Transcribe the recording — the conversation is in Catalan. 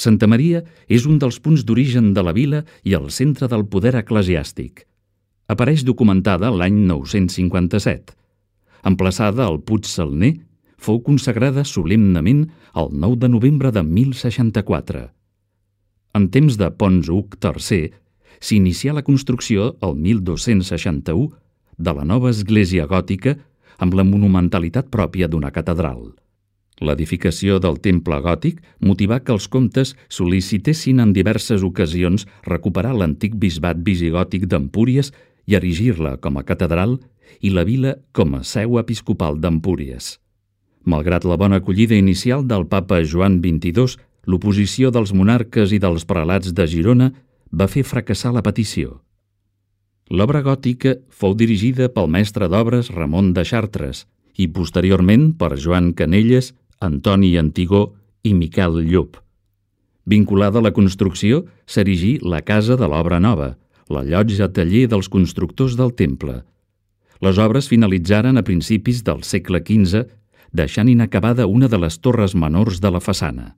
Santa Maria és un dels punts d'origen de la vila i el centre del poder eclesiàstic. Apareix documentada l'any 957. Emplaçada al Puig Salner, fou consagrada solemnement el 9 de novembre de 1064. En temps de Pons Hug III, s'inicià la construcció el 1261 de la nova església gòtica amb la monumentalitat pròpia d'una catedral. L'edificació del temple gòtic motivà que els comtes sol·licitessin en diverses ocasions recuperar l'antic bisbat visigòtic d'Empúries i erigir-la com a catedral i la vila com a seu episcopal d'Empúries. Malgrat la bona acollida inicial del papa Joan XXII, l'oposició dels monarques i dels prelats de Girona va fer fracassar la petició. L'obra gòtica fou dirigida pel mestre d'obres Ramon de Chartres i posteriorment per Joan Canelles, Antoni Antigó i Miquel Llop. Vinculada a la construcció s'erigí la Casa de l'Obra Nova, la llotja taller dels constructors del temple. Les obres finalitzaren a principis del segle XV, deixant inacabada una de les torres menors de la façana.